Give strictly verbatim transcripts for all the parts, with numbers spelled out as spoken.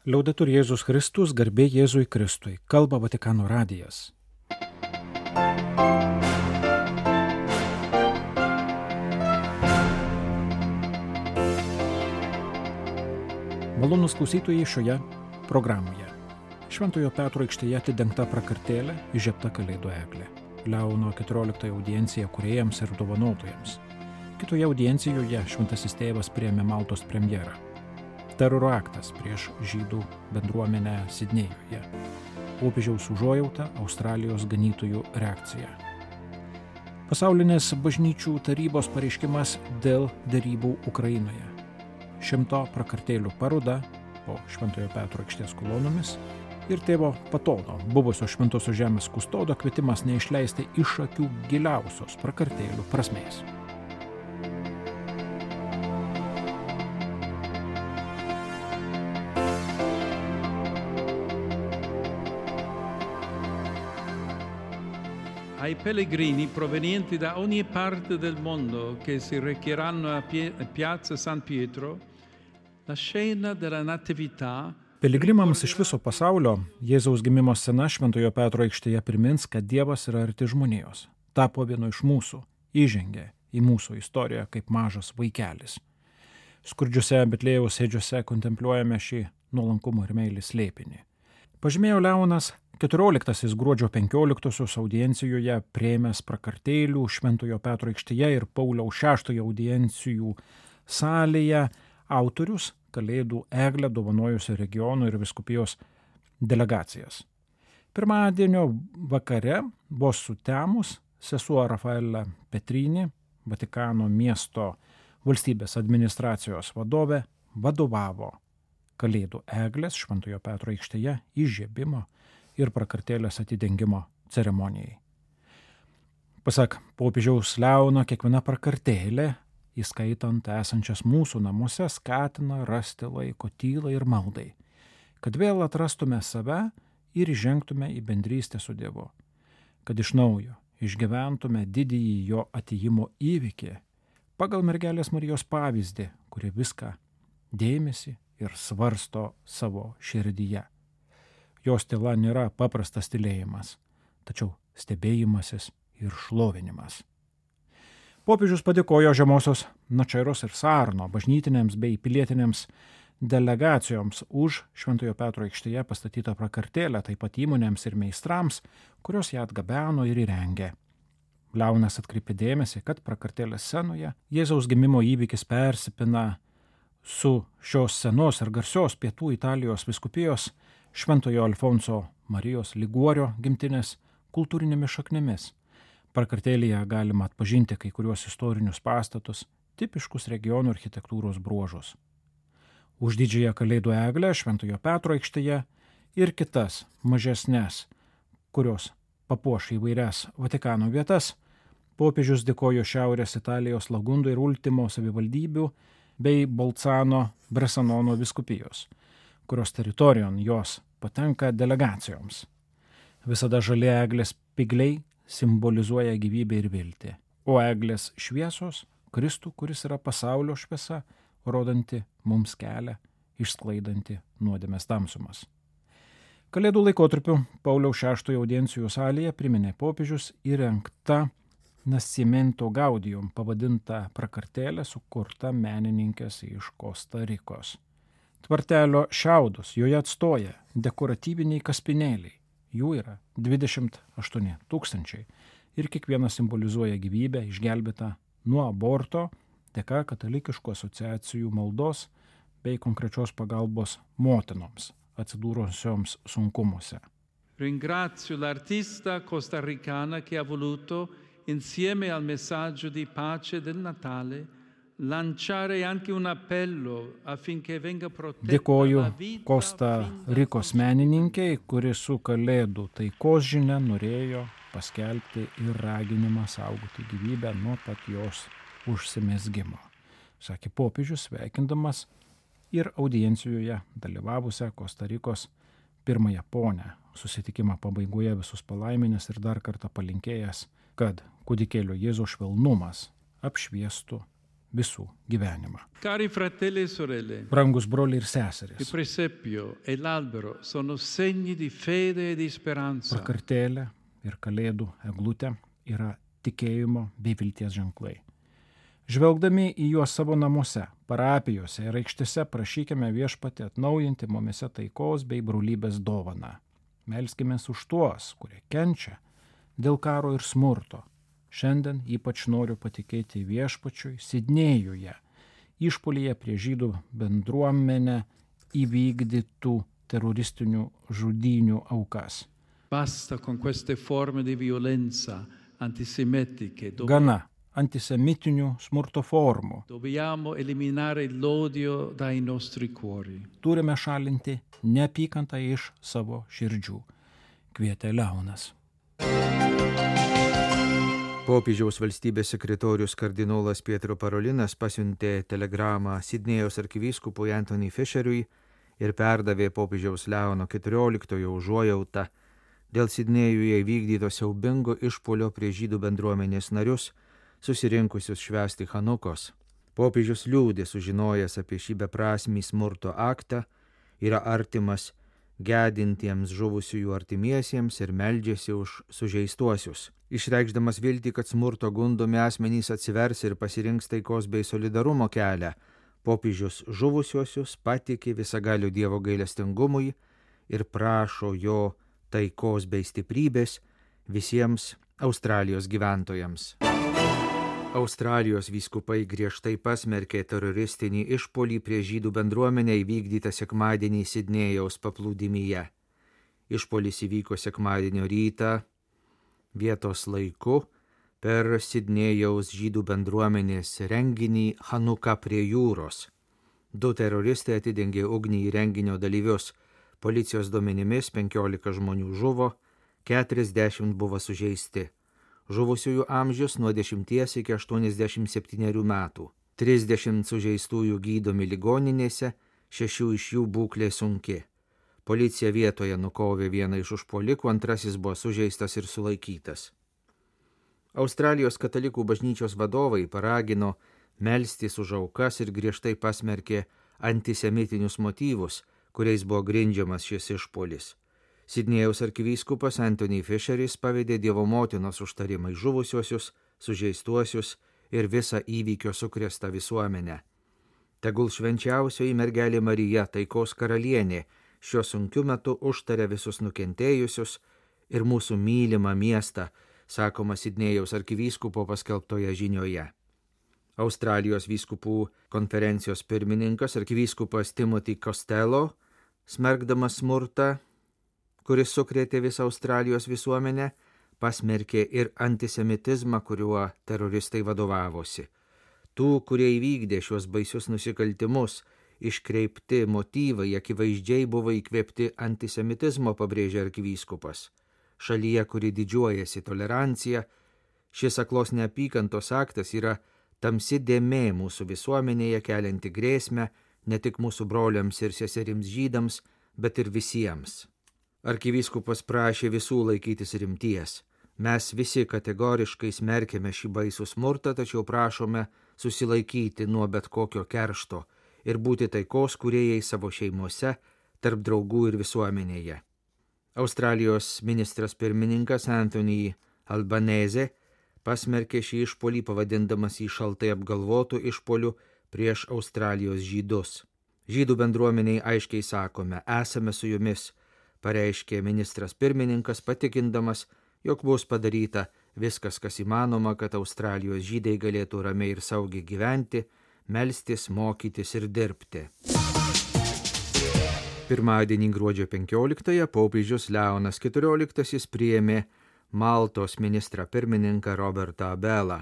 Liaudetur Jėzus Kristus, garbė Jėzui Kristui, kalba Vatikano radijas. Malonūs klausytojai šioje programoje. Šventojo Petro aikštėje atidengta prakartėlė, įžiebta Kalėdų eglė. Leono keturioliktoji audiencija kūrėjams ir dovanotojams. Kitoje audiencijoje šventasis tėvas priėmė Maltos premjerą. Teroro aktas prieš žydų bendruomenę Sidnėjuje. Popiežiaus užuojauta, Australijos ganytojų reakcija. Pasaulinės bažnyčių tarybos pareiškimas dėl derybų Ukrainoje. Šimto prakartėlių paroda po Šventojo Petro aikštės kolonomis ir tėvo Patono, buvusio Šventosios žemės kustodo, kvietimas neišleisti iš akių giliausios prakartėlių prasmės. Ai pellegrini provenienti da ogni parte del mondo che si recheranno a Piazza San Pietro, la scena della Natività. Piligrimams iš viso pasaulio Jėzaus gimimo scena Šventojo Petro aikštėje primins, kad Dievas yra arti žmonijos. Tapo vienu iš mūsų, įžengė į mūsų istoriją kaip mažas vaikelis. Skurdžiuose Betlėjaus ėdžiuose kontempliuojame šį nuolankumo ir meilės slėpinį. Pažymėjo Leonas keturioliktasis gruodžio penkioliktosios audiencijoje priėmęs prakartėlių Šventojo Petro aikštėje ir Pauliaus šeštojo audiencijų salėje autorius Kalėdų eglę dovanojusių regionų ir vyskupijos delegacijas. Pirmadienio vakare vos sutemus sesuo Rafaela Petrini, Vatikano miesto valstybės administracijos vadovė, vadovavo Kalėdų eglės Šventojo Petro aikštėje įžiebimo ir prakartėlės atidengimo ceremonijai. Pasak popiežiaus Leono, kiekviena prakartėlė, įskaitant esančias mūsų namuose, skatina rasti laiko tylai ir maldai, kad vėl atrastume save ir įžengtume į bendrystę su Dievu, kad iš naujo išgyventume didįjį jo atėjimo įvykį pagal mergelės Marijos pavyzdį, kuri viską dėmesį ir svarsto savo širdyje. Jos tyla nėra paprastas tylėjimas, tačiau stebėjimasis ir šlovinimas. Popiežius padėkojo Žemosios Načairos ir Sarno bažnytinėms bei pilietinėms delegacijoms už Šventojo Petro aikštėje pastatytą prakartėlę, taip pat įmonėms ir meistrams, kurios ją atgabeno ir įrengė. Leonas atkreipė dėmesį, kad prakartėlės scenoje Jėzaus gimimo įvykis persipina su šios senos ir garsios pietų Italijos vyskupijos Šventojo Alfonso Marijos Liguorio gimtinės kultūrinėmis šaknimis. Prakartėlėje galima atpažinti kai kuriuos istorinius pastatus, tipiškus regionų architektūros bruožus. Už didžiąją Kalėdų eglę Šventojo Petro aikštėje ir kitas mažesnes, kurios papuoš įvairias Vatikano vietas, popiežius dėkojo Šiaurės Italijos Lagundo ir Ultimo savivaldybių bei Bolcano Bresanono vyskupijos, kurios teritorijon jos patenka delegacijoms. Visada žali eglės spygliai simbolizuoja gyvybę ir viltį, o eglės šviesos Kristų, kuris yra pasaulio šviesa, rodanti mums kelią, išsklaidanti nuodėmės tamsumas. Kalėdų laikotarpiu Pauliaus šeštojo audiencijų salėje priminė popiežius įrengta Nascimento Gaudium pavadinta prakartėlė sukurta menininkės iš Kosta Rikos. Tvartelio šiaudus joje atstoja dekoratyviniai kaspinėliai. Jų yra dvidešimt aštuoni tūkstančiai ir kiekvienas simbolizuoja gyvybę išgelbėtą nuo aborto dėka katalikiškų asociacijų maldos bei konkrečios pagalbos motinoms atsidūrusioms sunkumuose. Ringrazio l'artista costarricana che ha voluto, insieme al messaggio di pace del Natale, lanciare anche un appello affinché venga protetta Dėkoju la vita. Kosta Rikos menininkei, kuri su Kalėdų taikos žinia norėjo paskelbti ir raginimą saugoti gyvybę nuo pat jos užsimezgimo, sakė popiežius, sveikindamas ir audiencijoje dalyvavusią Kosta Rikos pirmąją ponę, susitikimo pabaigoje visus palaiminęs ir dar kartą palinkėjęs, kad kūdikėlio Jėzaus švelnumas apšviestų visų gyvenimą. Cari fratelli e sorelle, Brangus broliai ir il seserys, presepio e l'albero sono segni di fede e di speranza. prakartėlė ir kalėdų eglutė yra tikėjimo bei vilties ženklai. Žvelgdami į juos savo namuose, parapijose ir aikštėse prašykime Viešpatį atnaujinti mumise taikos bei brolybės dovaną. Melskimės už tuos, kurie kenčia dėl karo ir smurto. Šiandien ypač noriu patikėti Viešpačiui Sidnėjuje, išpuolyje prie žydų bendruomenę įvykdytų teroristinių žudynių aukas. Basta con queste forme di violenza antisemitiche. Dov- Gana antisemitinių smurto formų. Dobbiamo eliminare l'odio dai nostri cuori. Turime šalinti neapykantą iš savo širdžių, kvietė Leonas. Popiežiaus valstybės sekretorius kardinolas Pietro Parolinas pasiuntė telegramą Sidnėjaus arkivyskupui Anthony Fisheriui ir perdavė popiežiaus Leono keturioliktojo užuojautą dėl Sidnėjuje įvykdyto siaubingo išpuolio prie žydų bendruomenės narius, susirinkusius švęsti Chanukos. Popiežius liūdė sužinojęs apie šį beprasmį smurto aktą, yra artimas gedintiems žuvusiųjų artimiesiems ir meldžiasi už sužeistuosius. Išreikšdamas viltį, kad smurto gundomi asmenys atsivers ir pasirinks taikos bei solidarumo kelią, popiežius žuvusiuosius patikė visagalių Dievo gailestingumui ir prašo jo taikos bei stiprybės visiems Australijos gyventojams. Australijos vyskupai griežtai pasmerkė teroristinį išpuolį prie žydų bendruomenę įvykdytą sekmadienį Sidnėjaus paplūdimyje. Išpuolis įvyko sekmadienio rytą vietos laiku per Sidnėjaus žydų bendruomenės renginį Chanuka prie jūros. Du teroristai atidengė ugnį į renginio dalyvius. Policijos duomenimis penkiolika žmonių žuvo, keturiasdešimt buvo sužeisti. Žuvusiųjų amžius nuo dešimties iki aštuoniasdešimt septynerių metų. trisdešimt sužeistųjų gydomi ligoninėse, šešių iš jų būklė sunki. Policija vietoje nukovė vieną iš užpuolikų, antrasis buvo sužeistas ir sulaikytas. Australijos katalikų bažnyčios vadovai paragino melstis už aukas ir griežtai pasmerkė antisemitinius motyvus, kuriais buvo grindžiamas šis išpuolis. Sidnėjaus arkivyskupas Anthony Fisheris pavedė Dievo motinos užtarimai žuvusiuosius, sužeistuosius ir visą įvykio sukrėstą visuomenę. Tegul švenčiausioji mergelė Marija, taikos karalienė, šiuo sunkiu metu užtaria visus nukentėjusius ir mūsų mylimą miestą, sakoma Sidnėjaus arkivyskupo paskelbtoje žinioje. Australijos vyskupų konferencijos pirmininkas arkivyskupas Timothy Costello, smerkdamas smurtą, kuris sukrėtė visą Australijos visuomenę, pasmerkė ir antisemitizmą, kuriuo teroristai vadovavosi. Tų, kurie įvykdė šios baisius nusikaltimus, iškreipti motyvai akivaizdžiai buvo įkvėpti antisemitizmo, pabrėžė arkivyskupas. Šalyje, kuri didžiuojasi tolerancija, šis aklos neapykantos aktas yra tamsi dėmė mūsų visuomenėje, kelianti grėsmę ne tik mūsų broliams ir seserims žydams, bet ir visiems. Arkivyskupas prašė visų laikytis rimties. Mes visi kategoriškai smerkėme šį baisų smurtą, tačiau prašome susilaikyti nuo bet kokio keršto ir būti taikos kūrėjai savo šeimose, tarp draugų ir visuomenėje. Australijos ministras pirmininkas Anthony Albanese pasmerkė šį išpuolį, pavadindamas jį šaltai apgalvotų išpuolių prieš Australijos žydus. Žydų bendruomeniai aiškiai sakome, esame su jumis, pareiškė ministras pirmininkas, patikindamas, jog bus padaryta viskas, kas įmanoma, kad Australijos žydai galėtų ramiai ir saugiai gyventi, melstis, mokytis ir dirbti. Pirmadienį gruodžio penkioliktąją popiežius Leonas keturioliktasis priėmė Maltos ministrą pirmininką Robertą Abelą,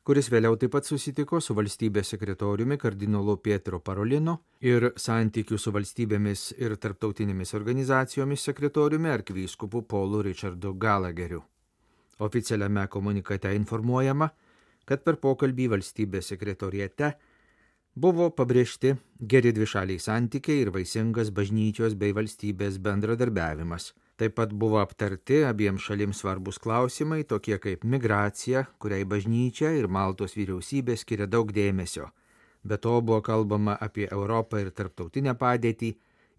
kuris vėliau taip pat susitiko su valstybės sekretoriumi kardinolu Pietro Parolinu ir santykių su valstybėmis ir tarptautinėmis organizacijomis sekretoriumi arkivyskupu Paulu Richardu Gallagheriu. Oficialiame komunikate informuojama, kad per pokalbį valstybės sekretoriate buvo pabrėžti geri dvišaliai santykiai ir vaisingas bažnyčios bei valstybės bendradarbiavimas. Taip pat buvo aptarti abiems šalims svarbus klausimai, tokie kaip migracija, kuriai bažnyčia ir Maltos vyriausybė skiria daug dėmesio. Be to buvo kalbama apie Europą ir tarptautinę padėtį,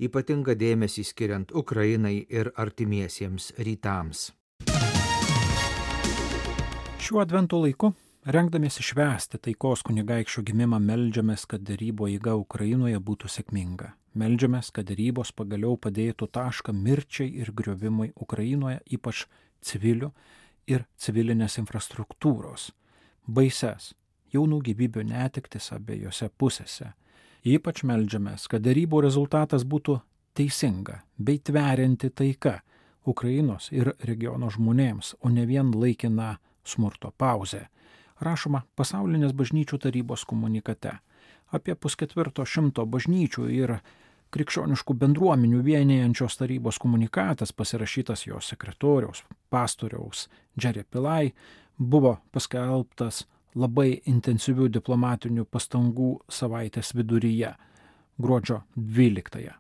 ypatingą dėmesį skiriant Ukrainai ir artimiesiems rytams. Šiuo advento laiku, rengdamiesi švęsti taikos kunigaikščio gimimą, meldžiamės, kad derybų eiga Ukrainoje būtų sėkminga. Meldžiamės, kad derybos pagaliau padėtų tašką mirčiai ir griovimui Ukrainoje, ypač civilių ir civilinės infrastruktūros. Baises, jaunų gyvybių netektis abiejose pusėse. Ypač meldžiamės, kad derybų rezultatas būtų teisinga bei tverianti taika Ukrainos ir regiono žmonėms, o ne vien laikina smurto pauzė. Rašoma Pasaulinės bažnyčių tarybos komunikate. Apie pusketvirto šimto bažnyčių ir krikščioniškų bendruomenių vienijančios tarybos komunikatas, pasirašytas jos sekretoriaus, pastoriaus Jerry Pillai, buvo paskelbtas labai intensyvių diplomatinių pastangų savaitės viduryje, gruodžio dvyliktąją.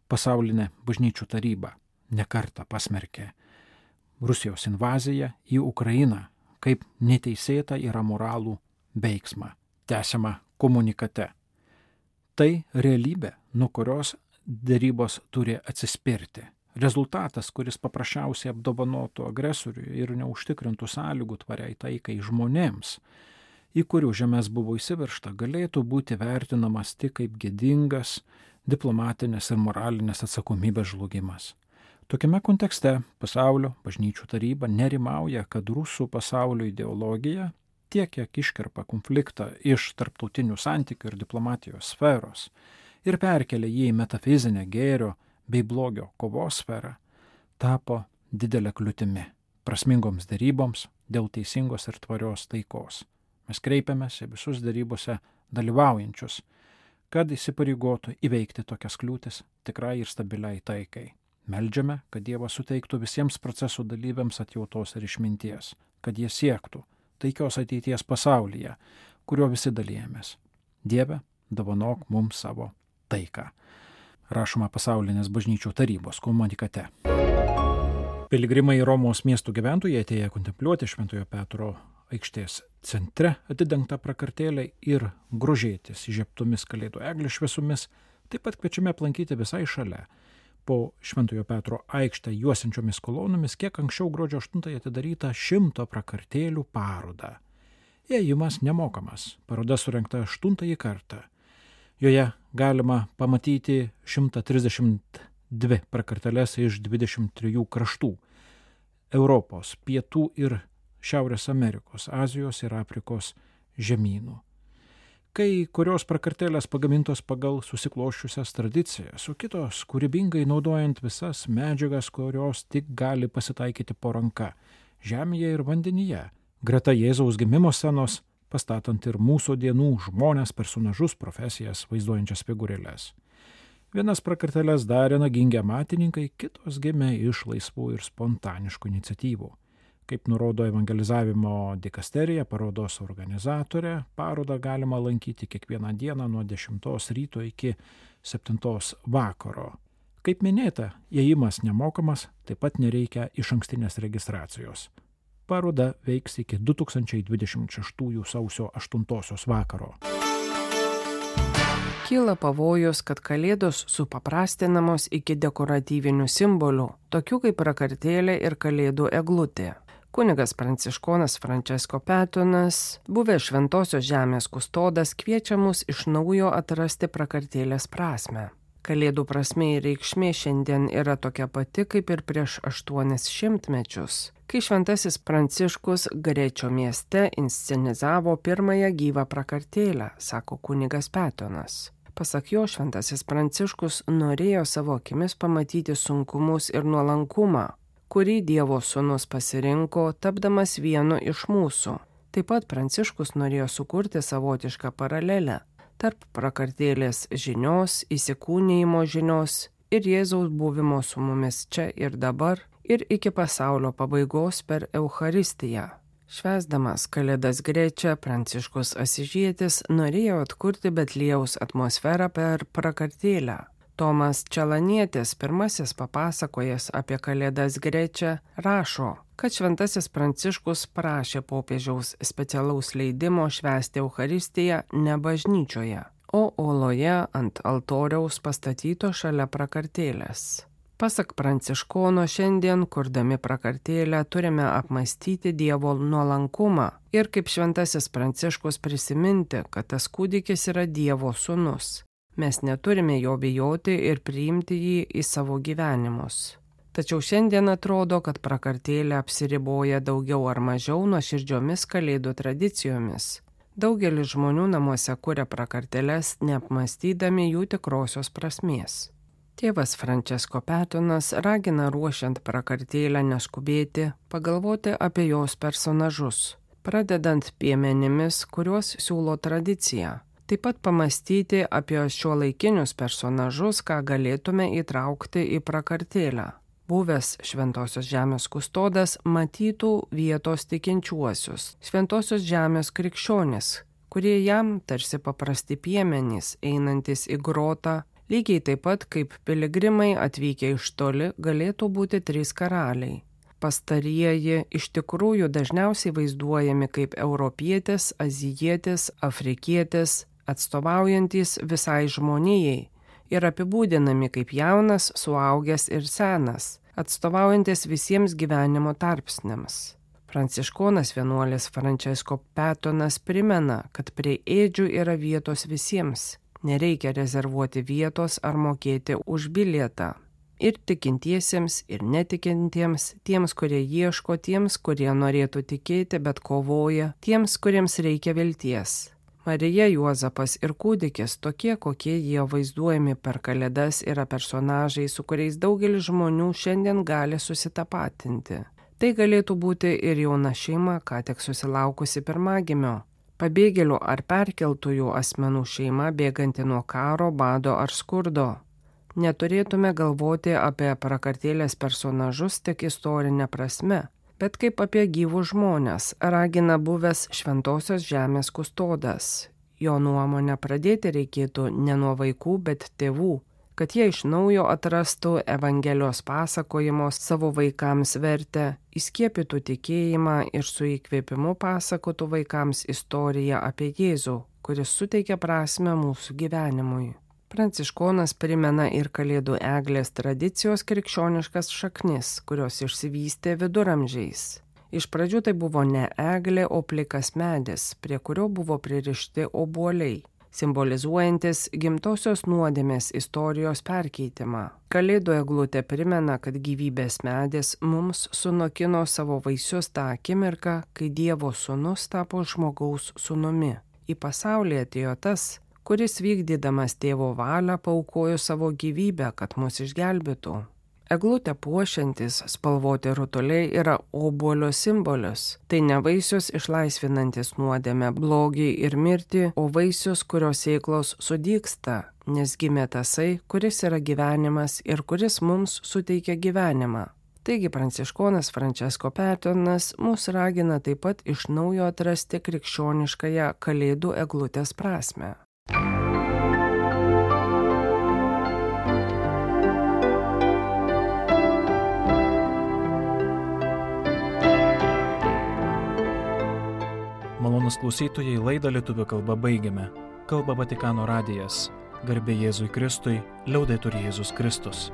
Pasaulinė bažnyčių taryba nekartą pasmerkė Rusijos invaziją į Ukrainą kaip neteisėtą ir amoralų veiksmą. Tęsiama komunikate. Tai realybė, nuo kurios derybos turi atsispirti. Rezultatas, kuris paprasčiausiai apdovanotų agresorių ir neužtikrintų sąlygų tvariai taikai žmonėms, į kurių žemės buvo įsiveržta, galėtų būti vertinamas tik kaip gėdingas diplomatinės ir moralinės atsakomybės žlugimas. Tokiame kontekste Pasaulio bažnyčių taryba nerimauja, kad rusų pasaulio ideologija tiek, kiek iškerpa konfliktą iš tarptautinių santykių ir diplomatijos sferos ir perkelia jį į metafizinę gėrio bei blogio kovos sferą, tapo didelė kliūtimi prasmingoms deryboms dėl teisingos ir tvarios taikos. Mes kreipiamės į visus derybose dalyvaujančius, kad įsipareigotų įveikti tokias kliūtis tikrai ir stabiliai taikai. Meldžiame, kad Dievas suteiktų visiems procesų dalyviams atjautos ir išminties, kad jie siektų taikios ateities pasaulyje, kurio visi dalyjamės. Dieve, dovanok mums savo taiką. Rašoma Pasaulinės bažnyčių tarybos komunikate. Piligrimai Romos miestų gyventojai atėję kontempliuoti Šventojo Petro aikštės centre atidengtą prakartėlę ir grožėtis įžiebtomis kalėdų eglių šviesomis, taip pat kviečiame aplankyti visai šalia. Po Šventojo Petro aikštę juosiančiomis kolonomis kiek anksčiau gruodžio aštuntąją atidaryta šimto prakartėlių paroda. Įėjimas nemokamas. Paroda surengta aštuntąjį kartą. Joje galima pamatyti šimtą trisdešimt dvi prakartėles iš dvidešimt trijų kraštų – Europos, Pietų ir Šiaurės Amerikos, Azijos ir Afrikos žemynų. Kai kurios prakartėlės pagamintos pagal susikloščiusias tradicijas, o kitos kūrybingai naudojant visas medžiagas, kurios tik gali pasitaikyti po ranka – žemėje ir vandenyje, greta Jėzaus gimimo scenos, pastatant ir mūsų dienų žmones, personažus, profesijas vaizduojančias figūrėles. Vienas prakartėles darė nagingi amatininkai, kitos gimė iš laisvų ir spontaniškų iniciatyvų. Kaip nurodo evangelizavimo dikasterija, parodos organizatorė, parodą galima lankyti kiekvieną dieną nuo dešimtos ryto iki septintos vakaro. Kaip minėta, įėjimas nemokamas, taip pat nereikia išankstinės registracijos. Paroda veiks iki du tūkstančiai dvidešimt šeštųjų sausio aštuntosios vakaro. Kyla pavojus, kad kalėdos supaprastinamos iki dekoratyvinių simbolių, tokių kaip prakartėlė ir kalėdų eglutė. Kunigas pranciškonas Francesco Petonas, buvęs Šventosios žemės kustodas, kviečia mus iš naujo atrasti prakartėlės prasmę. Kalėdų prasmė ir reikšmė šiandien yra tokia pati kaip ir prieš aštuonis šimtmečius, kai Šventasis Pranciškus Grečio mieste inscenizavo pirmąją gyvą prakartėlę, sako kunigas Petonas. Pasak jo, Šventasis Pranciškus norėjo savo akimis pamatyti sunkumus ir nuolankumą, kurį Dievo sūnus pasirinko, tapdamas vienu iš mūsų. Taip pat Pranciškus norėjo sukurti savotišką paralelę tarp prakartėlės žinios, įsikūnijimo žinios ir Jėzaus buvimo su mumis čia ir dabar ir iki pasaulio pabaigos per Eucharistiją. Švęsdamas Kalėdas Grečia, Pranciškus Asižietis norėjo atkurti Betliejaus atmosferą per prakartėlę. Tomas Čelanietis, pirmasis papasakojęs apie Kalėdas Grečia, rašo, kad šventasis Pranciškus prašė popiežiaus specialaus leidimo švęsti Eucharistiją ne bažnyčioje, o oloje ant altoriaus pastatyto šalia prakartėlės. Pasak Pranciškono, šiandien, kurdami prakartėlę, turime apmąstyti Dievo nuolankumą ir kaip šventasis Pranciškus prisiminti, kad tas kūdikis yra Dievo sūnus. Mes neturime jo bijoti ir priimti jį į savo gyvenimus. Tačiau šiandien atrodo, kad prakartėlė apsiriboja daugiau ar mažiau nuoširdžiomis Kalėdų tradicijomis. Daugelis žmonių namuose kuria prakartėles, neapmąstydami jų tikrosios prasmės. Tėvas Francesco Petonas ragina ruošiant prakartėlę neskubėti, pagalvoti apie jos personažus, pradedant piemenimis, kuriuos siūlo tradicija. Taip pat pamastyti apie šiuolaikinius personažus, ką galėtume įtraukti į prakartėlę. Buvęs Šventosios žemės kustodas matytų vietos tikinčiuosius, Šventosios žemės krikščionis, kurie jam tarsi paprasti piemenys, einantis į grotą, lygiai taip pat kaip piligrimai atvykę iš toli galėtų būti trys karaliai. Pastarieji iš tikrųjų dažniausiai vaizduojami kaip europietis, azijietis, afrikietis, atstovaujantis visai žmonijai ir apibūdinami kaip jaunas, suaugęs ir senas, atstovaujantis visiems gyvenimo tarpsniams. Pranciškonas vienuolis Francesco Petonas primena, kad prie ėdžių yra vietos visiems. Nereikia rezervuoti vietos ar mokėti už bilietą. Ir tikintiesiems, ir netikintiems, tiems, kurie ieško, tiems, kurie norėtų tikėti, bet kovoja, tiems, kuriems reikia vilties. Marija, Juozapas ir kūdikis, tokie, kokie jie vaizduojami per Kalėdas, yra personažai, su kuriais daugelis žmonių šiandien gali susitapatinti. Tai galėtų būti ir jauna šeima, ką tik susilaukusi pirmagimio. Pabėgėlių ar perkeltųjų asmenų šeima bėganti nuo karo, bado ar skurdo. Neturėtume galvoti apie prakartėlės personažus tik istorinę prasme, bet kaip apie gyvus žmonės, ragina buvęs Šventosios žemės kustodas. Jo nuomonę pradėti reikėtų ne nuo vaikų, bet tėvų, kad jie iš naujo atrastų Evangelijos pasakojimo savo vaikams vertę, įskiepytų tikėjimą ir su įkvėpimu pasakotų vaikams istoriją apie Jėzų, kuris suteikia prasmę mūsų gyvenimui. Pranciškonas primena ir Kalėdų eglės tradicijos krikščioniškas šaknis, kurios išsivystė viduramžiais. Iš pradžių tai buvo ne eglė, o plikas medis, prie kurio buvo pririšti obuoliai, simbolizuojantis gimtosios nuodėmės istorijos perkeitimą. Kalėdų eglutė primena, kad gyvybės medis mums sunokino savo vaisius tą akimirką, kai Dievo sūnus tapo žmogaus sūnumi. Į pasaulį atėjo tas, kuris vykdydamas tėvo valią paaukojo savo gyvybę, kad mus išgelbėtų. Eglutę puošiantis spalvoti rutuliai yra obuolio simbolis. Tai ne vaisius išlaisvinantis nuodėmę, blogį ir mirtį, o vaisius, kurios sėklos sudygsta, nes gimė tasai, kuris yra gyvenimas ir kuris mums suteikia gyvenimą. Taigi pranciškonas Francesco Petonas mus ragina taip pat iš naujo atrasti krikščioniškąją Kalėdų eglutės prasmę. Malonūs klausytojai, laidą lietuvių kalba baigiame. Kalba Vatikano radijas. Garbė Jėzui Kristui, liaudetur Jėzus Kristus.